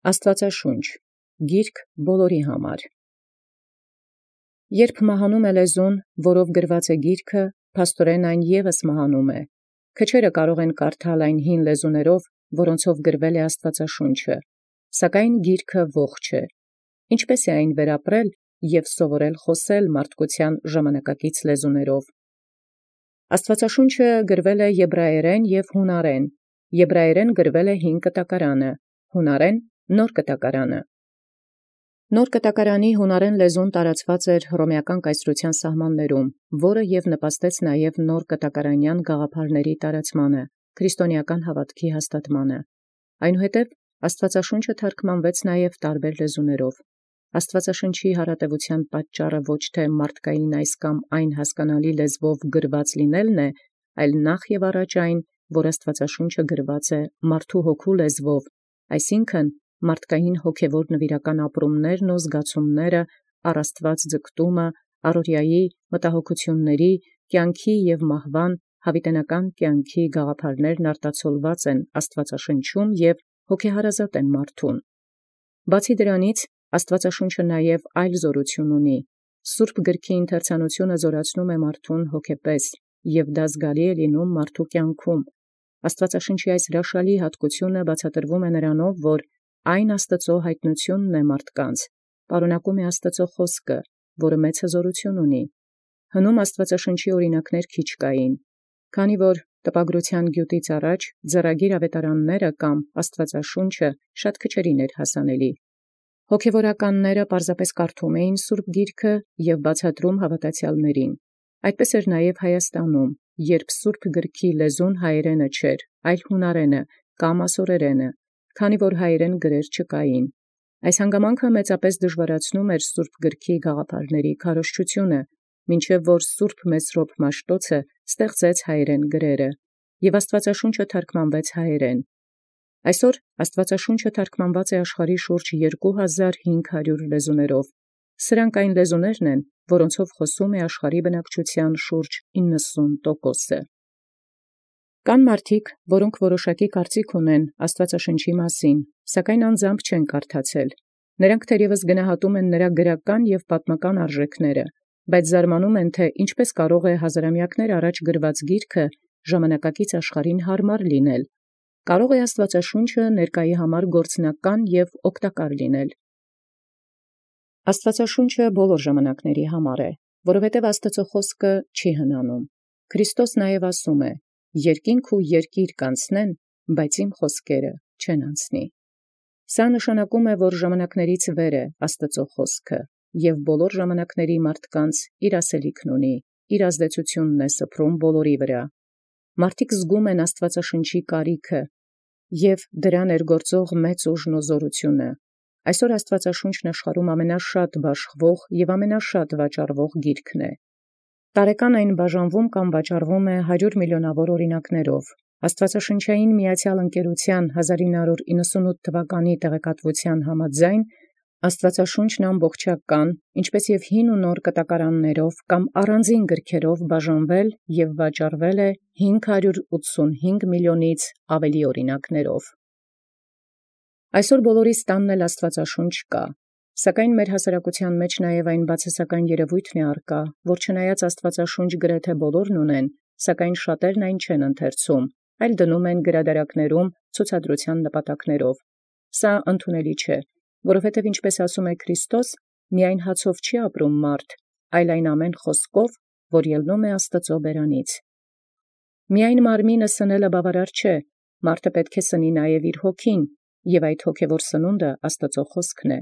Աստուածաշունչ Գիրք բոլորի համար։ Երբ մահանում լեզուն, որով գրված գիրքը, փաստորեն այն ևս մահանում է։ Քչերը կարող են կարդալ այն հին լեզուներով, որոնցով գրվել է Աստուածաշունչը, սակայն գիրքը ողջ է։ Ինչպէս է այն վերապրել և սովորել խոսել մարդկության ժամանակակից լեզուներով։ Աստուածաշունչը գրվել է եբրայերեն և հունարեն։ Եբրայերեն գրվել է 5 կտակարանը, հունարեն Նոր կտակարանը։ Նոր կտակարանի հունարեն լեզուն տարածված էր հռոմեական կայսրության սահմաններում, որը և նպաստեց նաև նոր կտակարանյան գաղափարների տարածմանը, քրիստոնեական հավատքի հաստատմանը։ Այնուհետև Աստուածաշունչը թարգմանվեց նաև տարբեր լեզուներով։ Աստուածաշնչի հարատևության պատճառը ոչ թե մարդկային այս կամ այն հասկանալի լեզվով գրված լինելն է, այլ նախ և առաջ այն, որ Աստուածաշունչը գրված է մարդու հոգու լեզվով, այսինքն մարդկային հոգևոր նվիրական ապրումներն ու զգացումները, առ Աստուած ձգտումը, առօրյայի մտահոգությունների, կյանքի և մահվան, հավիտենական կյանքի գաղափարներն արտացոլված են Աստուածաշնչում և հոգեհարազատ են մարդուն։ Բացի դրանից, Աստուածաշունչը նաև այլ զորություն ունի։ Սուրբ գրքի ընթերցանությունը զորացնում է մարդուն հոգեպես, և դա զգալի է լինում մարդու կյանքում։ Աստուածաշնչի այս հրաշալի հատկությունը բացատրվում է նրանով, որ այն Աստուծո հայտնությունն է մարդկանց, պարունակում է Աստուծո խոսքը, որը մեծ հզորություն ունի։ Հնում Աստուածաշնչի օրինակներ քիչ կային, քանի որ տպագրության գյուտից առաջ ձեռագիր ավետարանները կամ Աստուածաշունչը շատ քչերին էր հասանելի։ Հոգևորականները պարզապես կարդում էին Սուրբ Գիրքը և բացատրում հավատացյալներին։ Այդպես էր նաև Հայաստանում, երբ Սուրբ Գրքի լեզուն հայերենը չէր, այլ հունարենը կամ ասորերենը, քանի որ հայերեն գրեր չկային։ Այս հանգամանքը մեծապես դժվարացնում էր Սուրբ Գրքի գաղափարների քարոզչությունը, մինչև որ Սուրբ Մեսրոպ Մաշտոցը ստեղծեց հայերեն գրերը, և Աստուածաշունչը թարգմանվեց հայերեն։ Այսօր Աստուածաշունչը թարգմանված է աշխարհի շուրջ 2500 լեզուներով։ Սրանք այն լեզուներն են, որոնցով խոսում է աշխարհի բնակչության շուրջ 90%-ը։ Կան մարդիկ, որոնք որոշակի կարծիք ունեն Աստուածաշնչի մասին, սակայն անձամբ չեն կարդացել։ Նրանք թերևս գնահատում են նրա գրական և պատմական արժեքները, բայց զարմանում են, թե ինչպես կարող է հազարամյակներ առաջ գրված գիրքը ժամանակակից աշխարհին հարմար լինել։ Կարող է Աստուածաշունչը ներկայի համար գործնական և օգտակար լինել։ Աստուածաշունչը բոլոր ժամանակների համար է, որովհետև Աստուծո խոսքը չի հնանում։ Քրիստոս նաև ասում է. «Երկինք ու երկիր կանցնեն, բայց իմ խոսքերը չեն անցնի»։ Սա նշանակում է, որ ժամանակներից վեր է Աստուծո խոսքը, և բոլոր ժամանակների մարդկանց իր ասելիքն ունի, իր ազդեցությունն է սփռում բոլորի վրա։ Մարդիկ զգում են Աստուածաշնչի կարիքը և դրա ներգործող մեծ ուժն ու զորությունը։ Այսօր Աստուածաշունչն աշխարհում ամենաշատ բաշխվող և ամենաշատ վաճառվող գիրքն է։ Տարեկան այն բաժանվում կամ վաճառվում է 100 միլիոնավոր օրինակներով։ Աստուածաշնչային միացյալ ընկերության 1998 թվականի տեղեկատվության համաձայն Աստուածաշունչն ամբողջական, ինչպես և հին ու նոր կտակարաններով կամ առանձին գրքերով բաժանվել և վաճառվել է 585 միլիոնից ավելի օրինակներով։ Այսօր բոլորիս տանն էլ Աստուածաշունչ կա, սակայն մեր հասարակության մեջ նաև այն բացասական երևույթն է առկա, որ չնայած Աստուածաշունչ գրեթե բոլորն ունեն, սակայն շատերն այն չեն ընթերցում, այլ դնում են գրադարաններում ցուցադրության նպատակներով։ Սա ընդունելի չէ, որովհետև ինչպես ասում է Քրիստոս, միայն հացով չի ապրում մարդ, այլ այն ամեն խոսքով, որ ելնում է Աստծո բերանից։ Միայն մարմինը սնելը բավարար չէ, մարդը պետք է սնի նաև իր հոգին, և այդ հոգևոր սնունդը Աստծո խոսքն է։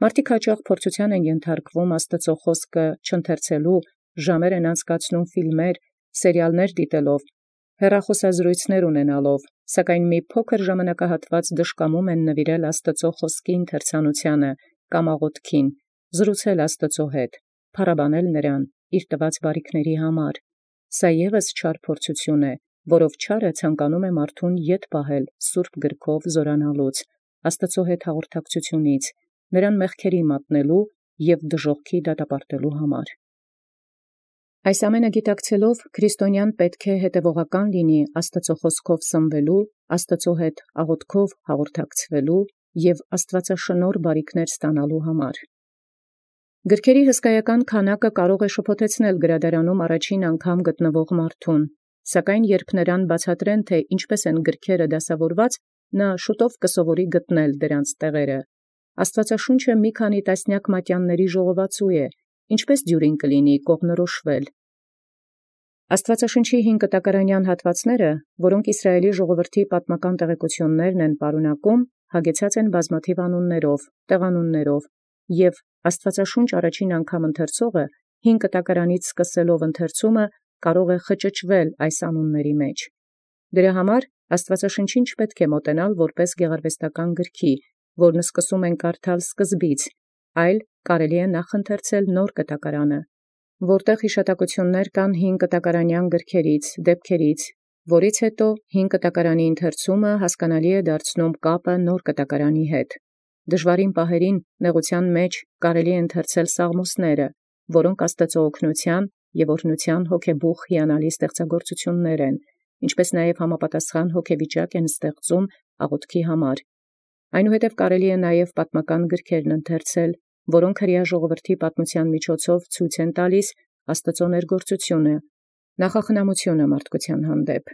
Մարդիկ հաճախ փորձության են ենթարկվում Աստծո խոսքը չընթերցելու, ժամեր են անցկացնում ֆիլմեր, սերիալներ դիտելով, հեռախոսազրույցներ ունենալով, սակայն մի փոքր ժամանակահատված դժկամում են նվիրել Աստծո խոսքի ընթերցանությանը կամ աղոթքին, զրուցել Աստծո հետ, փառաբանել նրան իր տված բարիքների համար։ Սա ևս չար փորձություն է, որով չարը ցանկանում է մարդուն ետ պահել Սուրբ Գրքով զորանալուց, Աստծո հետ հաղորդակցությունից, նրան մեղքերի մատնելու և դժոխքի դատապարտելու համար։ Այս ամենը գիտակցելով քրիստոնյան պետք է հետևողական լինի Աստծո խոսքով սնվելու, Աստծո հետ աղոթքով հաղորդակցվելու և աստուածաշնորհ բարիքներ ստանալու համար։ Գրքերի հսկայական քանակը կարող է շփոթեցնել գրադարանում առաջին անգամ գտնվող մարդուն, սակայն երբ նրան բացատրեն, թե ինչպես են գրքերը դասավորված, նա շուտով կսովորի գտնել դրանց տեղերը։ Աստուածաշունչը մի քանի տասնյակ մատյանների ժողովածու է, ինչպես դյուրին կլինի կողմնորոշվել։ Աստուածաշնչի 5 կտակարանյան հատվածները, որոնք Իսրայելի ժողովրդի պատմական տեղեկություններն են պարունակում, հագեցած են բազմաթիվ անուններով, տեղանուններով, և Աստուածաշունչ առաջին անգամ ընթերցողը 5 կտակարանից սկսելով ընթերցումը կարող է խճճվել այս անունների մեջ։ Դրա համար Աստուածաշնչին չպետք է մոտենալ որպես գեղարվեստական գրքի, որն սկսում են կարդալ սկզբից, այլ կարելի է նախ ընթերցել նոր կտակարանը, որտեղ հիշատակություններ կան 5 կտակարանյան գրքերից, դեպքերից, որից հետո 5 կտակարանի ընթերցումը հասկանալի է դարձնում կապը նոր կտակարանի հետ։ Դժվարին պահերին նեղության մեջ կարելի է ընթերցել սաղմոսները, որոնք Աստծո օգնության և օրհնության հոգեբուխ հիանալի ստեղծագործություններ են, ինչպես նաև համապատասխան հոգեվիճակ են ստեղծում աղոթքի համար։ Այնուհետև կարելի է նաև պատմական գրքերն ընթերցել, որոնք հրեա ժողովրդի պատմության միջոցով ցույց են տալիս Աստծո ներգործությունը, նախախնամությունը մարդկության հանդեպ։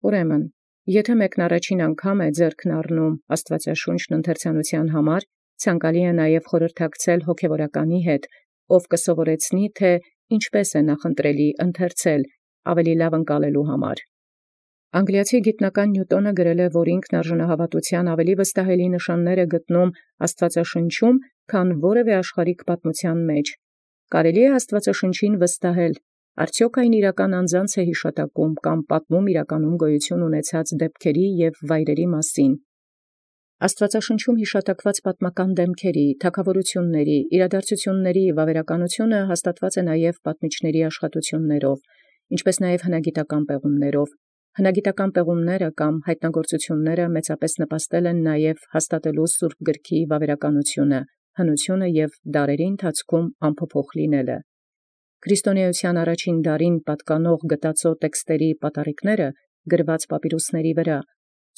Ուրեմն, եթե մեկն առաջին անգամ է ձեռքն առնում Աստվածաշունչն ընթերցանության համար, ցանկալի է նաև խորհրդակցել հոգևորականի հետ, ով կսովորեցնի, թե ինչպես է նախընտրելի ընթերցել ավելի լավ ընկալելու համար։ Անգլիացի գիտնական Նյուտոնը գրել է, որ ինքն արժանահավատության ավելի վստահելի նշաններ է գտնում Աստվածաշնչում, քան որևէ աշխարհիկ պատմության մեջ։ Կարելի է Աստվածաշնչին վստահել, արդյոք այն իրական անձանց է հիշատակում կամ պատմում իրականում գոյություն ունեցած դեպքերի և վայրերի մասին։ Աստվածաշնչում հիշատակված պատմական դեմքերի, թագավորությունների, իրադարձությունների վավերականությունը հաստատված է նաև պատմիչների աշխատություններով, ինչպես նաև հնագիտական պեղումներով։ Հնագիտական պեղումները կամ հայտնագործությունները մեծապես նպաստել են նաև հաստատելու Սուրբ Գրքի վավերականությունը, հնությունը և դարերի ընթացքում անփոփոխ լինելը։ Քրիստոնեության առաջին դարին պատկանող գտածո տեքստերի պատառիկները գրված պապիրուսների վրա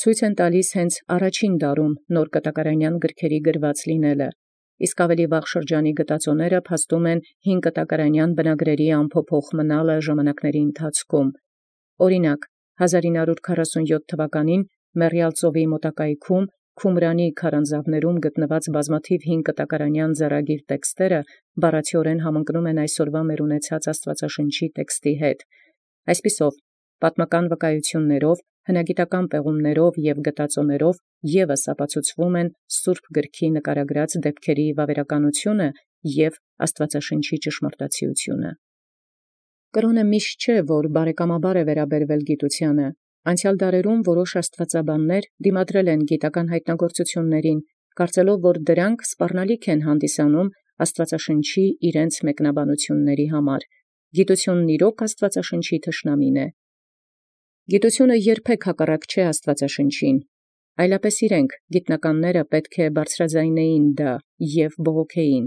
ցույց են տալիս հենց առաջին դարում նոր կտակարանյան գրքերի գրված լինելը, իսկ ավելի վաղ շրջանի գտածոները փաստում են 5 կտակարանյան բնագրերի անփոփոխ մնալը ժամանակների ընթացքում։ Օրինակ, 1947 թվականին Մեռյալ ծովի մոտակայքում Քումրանի քարանձավներում գտնված բազմաթիվ 5 կտակարանյան ձեռագիր տեքստերը բառացիորեն համընկնում են այսօրվա մեր ունեցած Աստվածաշնչի տեքստի հետ։ Այսպիսով, պատմական վկայություններով, հնագիտական պեղումներով և գտածոներով ևս ապացուցվում են Սուրբ Գրքի նկարագրած դեպքերի վավերականությունը և Աստվածաշնչի ճշմարտացիությունը։ Կրոնը միշտ չէ, որ բարեկամաբար է վերաբերվել գիտությանը։ Անցյալ դարերում որոշ աստվածաբաններ դիմադրել են գիտական հայտնագործություններին, կարծելով, որ դրանք սպառնալիք են հանդիսանում Աստվածաշնչի իրենց մեկնաբանությունների համար։ Գիտությունն իրոք Աստվածաշնչի թշնամին է։ Գիտությունը երբեք հակառակ չէ Աստվածաշնչին, այլապես իրենք գիտնականները պետք է բարձրաձայնեին դա և բողոքեին։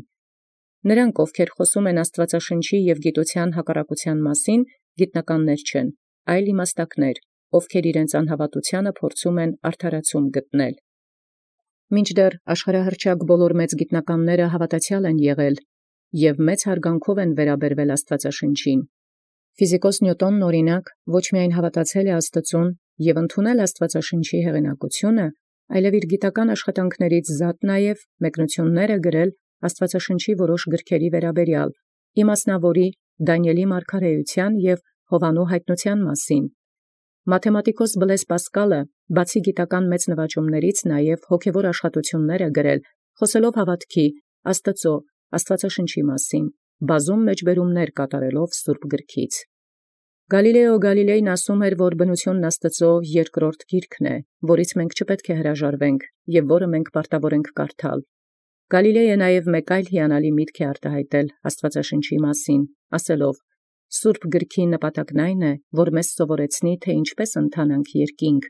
Նրանք, ովքեր խոսում են Աստվածաշնչի և գիտության հակառակության մասին, գիտնականներ չեն, այլ իմաստակներ, ովքեր իրենց անհավատությանը փորձում են արդարացում գտնել։ Մինչդեռ աշխարհահռչակ բոլոր մեծ գիտնականները հավատացյալ են եղել և մեծ հարգանքով են վերաբերվել Աստվածաշնչին։ Ֆիզիկոս Նյուտոնն օրինակ ոչ միայն հավատացել է Աստծուն և ընդունել Աստվածաշնչի հեղինակությունը, այլև իր գիտական աշխատանքներից զատ նաև մեկնություններ է գրել Աստվածաշնչի որոշ գրքերի վերաբերյալ, իմասնավորի, Դանիէլի մարգարեության և Հովանու հայտնության մասին։ Մաթեմատիկոս Բլես Պասկալը, բացի գիտական մեծ նվաճումներից, նաև հոգևոր աշխատություններ է գրել, խոսելով հավատքի, Աստծո, Աստվածաշնչի մասին, բազում մեջբերումներ կատարելով Սուրբ Գրքից։ Գալիլեո Գալիլեյն ասում էր, որ բնությունն Աստծո երկրորդ գիրքն է, որից մենք չպետք է հրաժարվենք և որը մենք պարտավոր ենք կարդալ։ Գալիլեյը նաև մեկ այլ հիանալի միտք է արտահայտել Աստվածաշնչի մասին, ասելով. «Սուրբ Գրքի նպատակն այն է, որ մեզ սովորեցնի, թե ինչպես ընթանանք երկինք,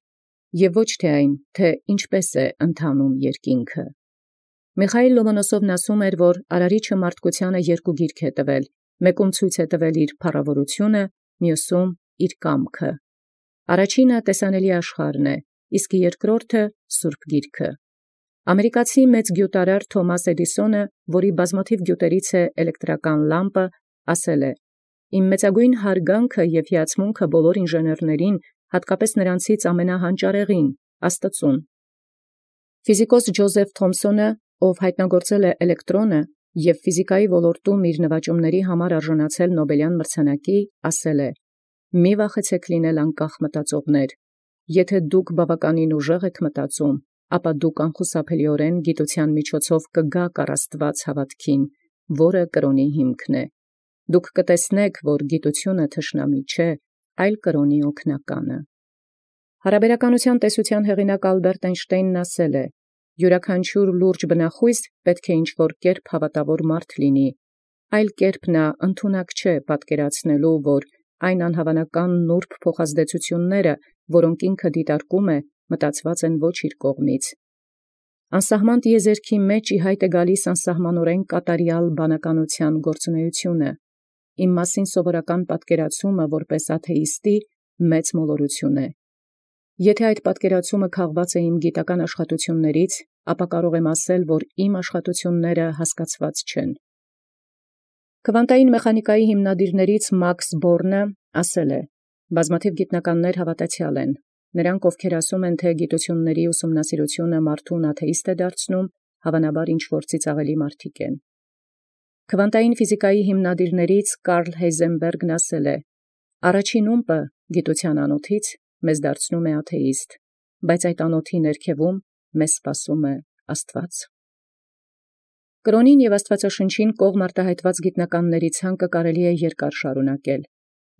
և ոչ թե այն, թե ինչպես է ընթանում երկինքը»։ Միխայիլ Լոմոնոսովն ասում էր, որ Արարիչը մարդկությանը երկու գիրք է տվել, մեկում ցույց է տվել իր փառավորությունը, մյուսում իր կամքը։ Առաջինը տեսանելի աշխարհն է, իսկ երկրորդը Սուրբ Գիրքը։ Ամերիկացի մեծ գյուտարար Թոմաս Էդիսոնը, որի բազմաթիվ գյուտերից էլեկտրական լամպը, ասել է. «Իմ մեծագույն հարգանքը և հիացմունքը բոլոր ինժեներներին, հատկապես նրանցից ամենահանճարեղին, Աստծուն»։ Ֆիզիկոս Ջոզեֆ Թոմսոնը, ով հայտնագործել է էլեկտրոնը և ֆիզիկայի ոլորտում իր նվաճումների համար արժանացել Նոբելյան մրցանակի, ասել է. «Մի վախեցեք լինել անկախ մտածողներ. եթե դուք բավականին ուժեղ եք մտածում, ապա դուք անխուսափելիորեն գիտության միջոցով կգաք առ Աստուած հաւատքին, որը կրոնի հիմքն է։ Դուք կտեսնեք, որ գիտությունը թշնամի չէ, այլ կրոնի օգնականը»։ Հարաբերականության տեսության հեղինակ Ալբերտ Էյնշտեյնն ասել է. «Յուրաքանչյուր լուրջ բնախույս պետք է ինչ-որ կերպ հավատավոր մարդ լինի, այլ կերպ նա ընդունակ չէ պատկերացնելու, որ այն անհավանական նուրբ փոխազդեցությունները, որոնք ինքը դիտարկում է, մտածված են ոչ իր կողմից։ Անսահման տիեզերքի մեջ ի հայտ է գալիս անսահմանորեն կատարյալ բանականության գործունեությունը։ Իմ մասին սովորական պատկերացումը որպես աթեիստի մեծ մոլորություն է։ Եթե այդ պատկերացումը քաղված է իմ գիտական աշխատություններից, ապա կարող եմ ասել, որ իմ աշխատությունները հասկացված չեն»։ Քվանտային մեխանիկայի հիմնադիրներից Մաքս Բորնը ասել է. «Բազմաթիվ գիտնականներ հավատացյալ են։ Նրանք, ովքեր ասում են, թե գիտությունների ուսումնասիրությունը մարդուն աթեիստ է դարձնում, հավանաբար ինչ-որ ծիծաղելի մարդիկ են»։ Քվանտային ֆիզիկայի հիմնադիրներից Կարլ Հեյզենբերգն ասել է. «Առաջին ումպը գիտության անոթից մեզ դարձնում է աթեիստ, բայց այդ անոթի ներքևում մեզ սպասում է Աստված»։ Կրոնին և Աստվածաշնչին կողմ արտահայտված գիտնականների ցանկը կարելի է երկար շարունակել,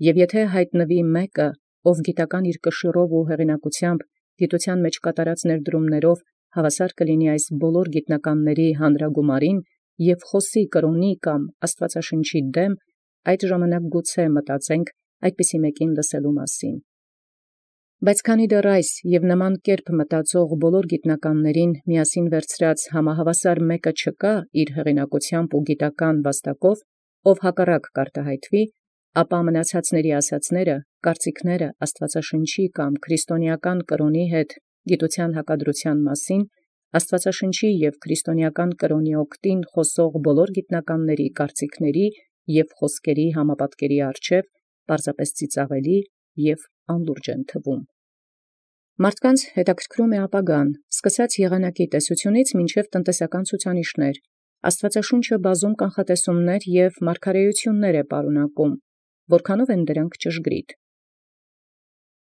և եթե հայտնվի մեկը, ով գիտական իր կշիռով ու հեղինակությամբ գիտության մեջ կատարած ներդրումներով հավասար կլինի այս բոլոր գիտնականների հանրագումարին և խոսի կրոնի կամ Աստվածաշնչի դեմ, այդ ժամանակ գուցե մտածենք այդպիսի մեկին լսելու մասին։ Բայց քանի դեռ այս և նման կերպ մտածող բոլոր գիտնականներին միասին վերցրած համահավասար մեկը չկա իր հեղինակությամբ ու գիտական վաստակով, ով հակառակ կարտահայտվի, ապա մնացածների ասացները, կարծիքները Աստվածաշնչի կամ քրիստոնեական կրոնի հետ գիտության հակադրության մասին, Աստվածաշնչի և քրիստոնեական կրոնի օգտին խոսող բոլոր գիտնականների կարծիքների և խոսքերի համապատկերի առջև պարզապես ծիծաղելի և անլուրջ են թվում։ Մարդկանց հետաքրքրում է ապագան, սկսած եղանակի տեսությունից մինչև տնտեսական ցուցանիշներ։ Աստվածաշունչը բազում կանխատեսումներ և մարգարեություններ է պարունակում, որքանով են դրանք ճշգրիտ։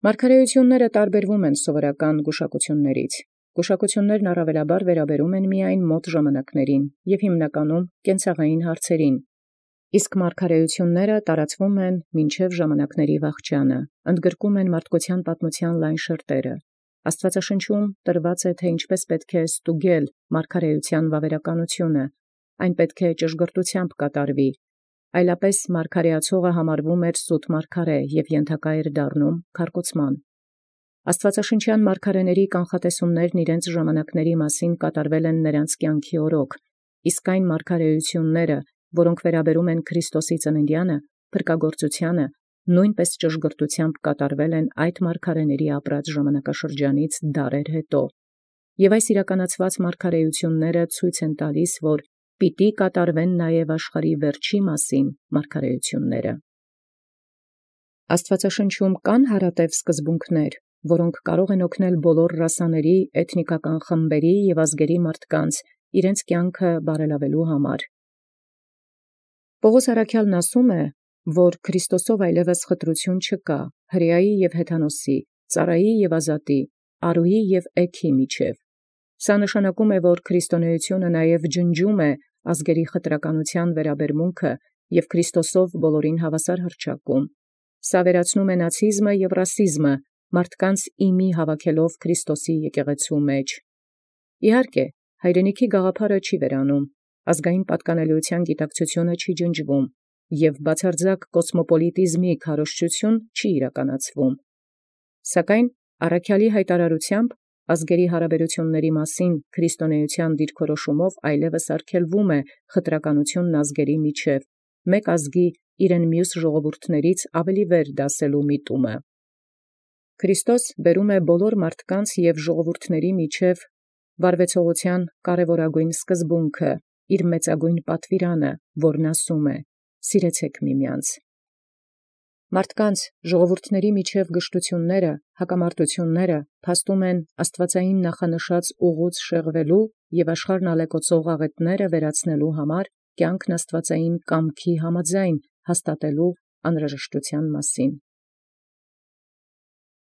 Մարգարեությունները տարբերվում են սովորական գուշակություններից։ Գուշակություններն առավելաբար վերաբերում են միայն մոտ ժամանակներին և հիմնականում կենցաղային հարցերին, իսկ մարգարեությունները տարածվում են մինչև ժամանակների վախճանը, ընդգրկում են մարդկության պատմության լայն շերտերը։ Աստվածաշնչում տրված է, թե ինչպես պետք է ստուգել մարգարեության վավերականությունը, այն պետք է ճշգրտությամբ կատարվի, այլապես մարգարեացողը համարվում էր սուտ մարգարե և ենթակա էր դառնում քարկոծման։ Աստվածաշնչյան մարգարեների կանխատեսումներն իրենց ժամանակների մասին կատարվել են նրանց կյանքի օրոք, իսկ այն մարգարեությունները, որոնք վերաբերում են Քրիստոսի ծննդյանը, փրկագործությանը, նույնպես ճշգրտությամբ կատարվել են այդ մարգարեների ապրած ժամանակաշրջանից դարեր հետո։ Եվ այս իրականացված մարգարեությունները ցույց են տալիս, որ պիտի կատարվեն նաև աշխարհի վերջի մասին մարգարեությունները։ Աստվածաշնչում կան հարատև սկզբունքներ, որոնք կարող են օգնել բոլոր ռասաների, էթնիկական խմբերի և ազգերի մարդկանց իրենց կյանքը բարելավելու համար։ Պողոս առաքյալն ասում է, որ Քրիստոսով այլևս խտրություն չկա հրեայի և հեթանոսի, ծառայի և ազատի, արուի և էգի միջև։ Սա նշանակում է, որ քրիստոնեությունը նաև ջնջում է ազգերի խտրականության վերաբերմունքը և Քրիստոսով բոլորին հավասար հռչակում։ Սա վերացնում է նացիզմը և ռասիզմը, մարդկանց իմի հավաքելով Քրիստոսի եկեղեցու մեջ։ Իհարկե, հայրենիքի գաղափարը չի վերանում, ազգային պատկանելիության գիտակցությունը չի ջնջվում, և բացարձակ կոսմոպոլիտիզմի քարոզչություն չի իրականացվում։ Սակայն առաքյալի հայտարարությամբ ազգերի հարաբերությունների մասին քրիստոնեության դիրքորոշումով այլևս արգելվում է խտրականությունն ազգերի միջև, մեկ ազգի իրեն մյուս ժողովուրդներից ավելի վեր դասելու միտումը։ Քրիստոս բերում է բոլոր մարդկանց և ժողովուրդների միջև վարվեցողութեան կարևորագույն սկզբունքը, իր մեծագույն պատվիրանը, որն ասում է. «Սիրեցեք միմեանց»։ Մարդկանց ժողովուրդների միջև գշտութիւնները, հակամարտութիւնները փաստում են աստուածային նախանշած ուղուց շեղվելու և աշխարհն ալեկոծող աղետները վերացնելու համար կյանքն աստուածային կամքի համաձայն հաստատելու անհրաժեշտութեան մասին։